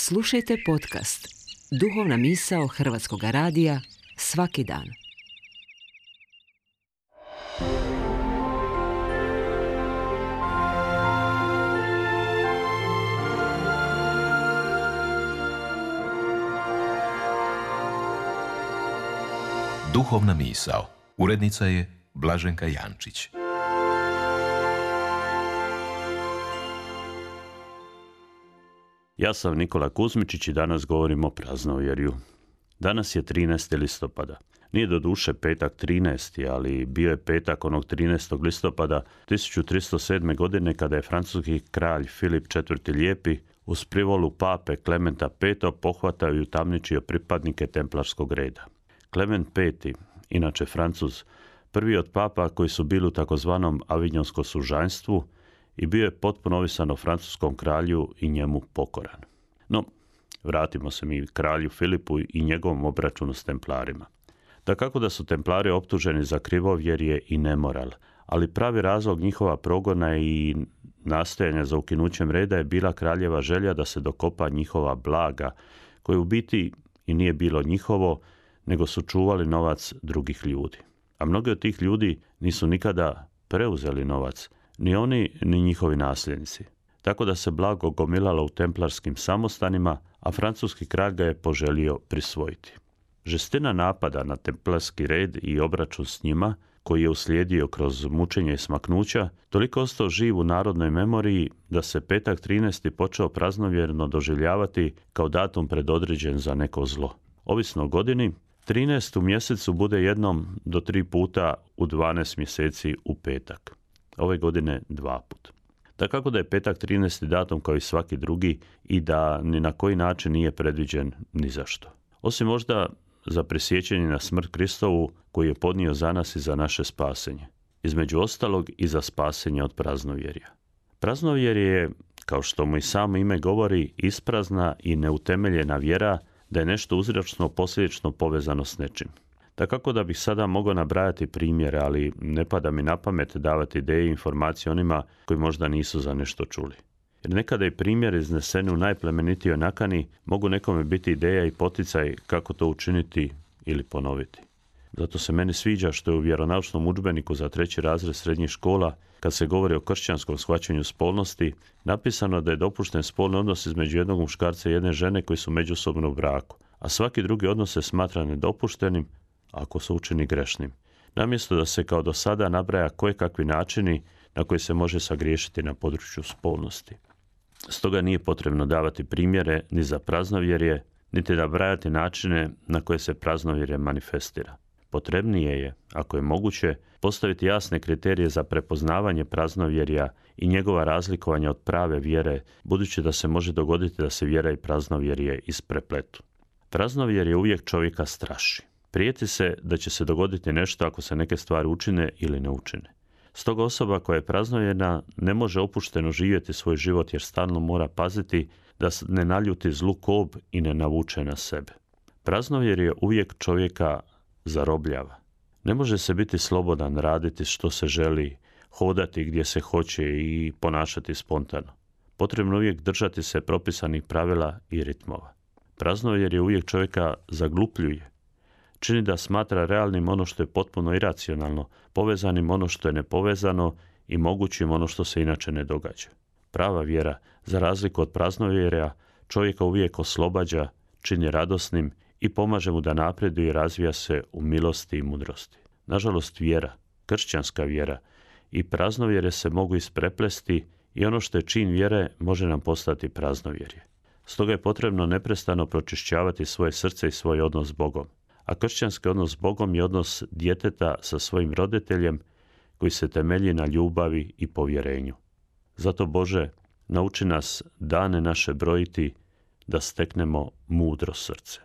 Slušajte podcast Duhovna misao Hrvatskog radija svaki dan. Duhovna misao. Urednica je Blaženka Jančić. Ja sam Nikola Kuzmičić i danas govorim o praznovjerju. Danas je 13. listopada. Nije doduše petak 13. ali bio je petak onog 13. listopada 1307. godine kada je francuski kralj Filip IV. Lijepi uz privolu pape Klementa V. pohvatao i utamničio pripadnike templarskog reda. Klement V., inače Francuz, prvi od papa koji su bili u takozvanom avignonskom sužanjstvu i bio je potpuno ovisan o francuskom kralju i njemu pokoran. No, vratimo se mi kralju Filipu i njegovom obračunu s templarima. Dakako da su templari optuženi za krivovjerje i nemoral, ali pravi razlog njihova progona i nastojanja za ukinućem reda je bila kraljeva želja da se dokopa njihova blaga, koje u biti i nije bilo njihovo, nego su čuvali novac drugih ljudi. A mnogi od tih ljudi nisu nikada preuzeli novac, ni oni, ni njihovi nasljednici. Tako da se blago gomilalo u templarskim samostanima, a francuski kralj ga je poželio prisvojiti. Žestina napada na templarski red i obračun s njima, koji je uslijedio kroz mučenje i smaknuća, toliko ostao živ u narodnoj memoriji da se petak 13. počeo praznovjerno doživljavati kao datum predodređen za neko zlo. Ovisno o godini, 13. u mjesecu bude jednom do 3 puta u 12 mjeseci u petak. Ove godine 2 puta. Dakako da je petak 13. datum kao i svaki drugi i da ni na koji način nije predviđen ni zašto. Osim možda za prisjećanje na smrt Kristovu koju je podnio za nas i za naše spasenje. Između ostalog i za spasenje od praznovjerja. Praznovjerje je, kao što mu i samo ime govori, isprazna i neutemeljena vjera da je nešto uzročno posljedično povezano s nečim. Dakako da bih sada mogao nabrajati primjere, ali ne pada mi na pamet davati ideje i informacije onima koji možda nisu za nešto čuli. Jer nekada i primjer izneseni u najplemenitijoj nakani mogu nekome biti ideja i poticaj kako to učiniti ili ponoviti. Zato se meni sviđa što je u vjeronaučnom udžbeniku za 3. razred srednjih škola, kad se govori o kršćanskom shvaćanju spolnosti, napisano da je dopušten spolni odnos između jednog muškarca i jedne žene koji su međusobno u braku, a svaki drugi odnos se smatra nedopuštenim ako se učini grešnim. Namjesto da se kao do sada nabraja kojekakvi načini na koji se može sagriješiti na području spolnosti. Stoga nije potrebno davati primjere ni za praznovjerje, niti nabrajati načine na koje se praznovjerje manifestira. Potrebnije je, ako je moguće, postaviti jasne kriterije za prepoznavanje praznovjerja i njegova razlikovanja od prave vjere, budući da se može dogoditi da se vjera i praznovjerje isprepletu. Praznovjerje uvijek čovjeka straši. Prijeti se da će se dogoditi nešto ako se neke stvari učine ili ne učine. Stoga osoba koja je praznovjerna ne može opušteno živjeti svoj život jer stalno mora paziti da ne naljuti zlu kob i ne navuče na sebe. Praznovjerje uvijek čovjeka zarobljava. Ne može se biti slobodan, raditi što se želi, hodati gdje se hoće i ponašati spontano. Potrebno uvijek držati se propisanih pravila i ritmova. Praznovjerje uvijek čovjeka zaglupljuje. Čini da smatra realnim ono što je potpuno iracionalno, povezanim ono što je nepovezano i mogućim ono što se inače ne događa. Prava vjera, za razliku od praznovjerja, čovjeka uvijek oslobađa, čini radosnim i pomaže mu da napreduje i razvija se u milosti i mudrosti. Nažalost, vjera, kršćanska vjera i praznovjerje se mogu ispreplesti i ono što je čin vjere može nam postati praznovjerje. Stoga je potrebno neprestano pročišćavati svoje srce i svoj odnos s Bogom. A kršćanski odnos s Bogom je odnos djeteta sa svojim roditeljem koji se temelji na ljubavi i povjerenju. Zato, Bože, nauči nas dane naše brojiti da steknemo mudro srce.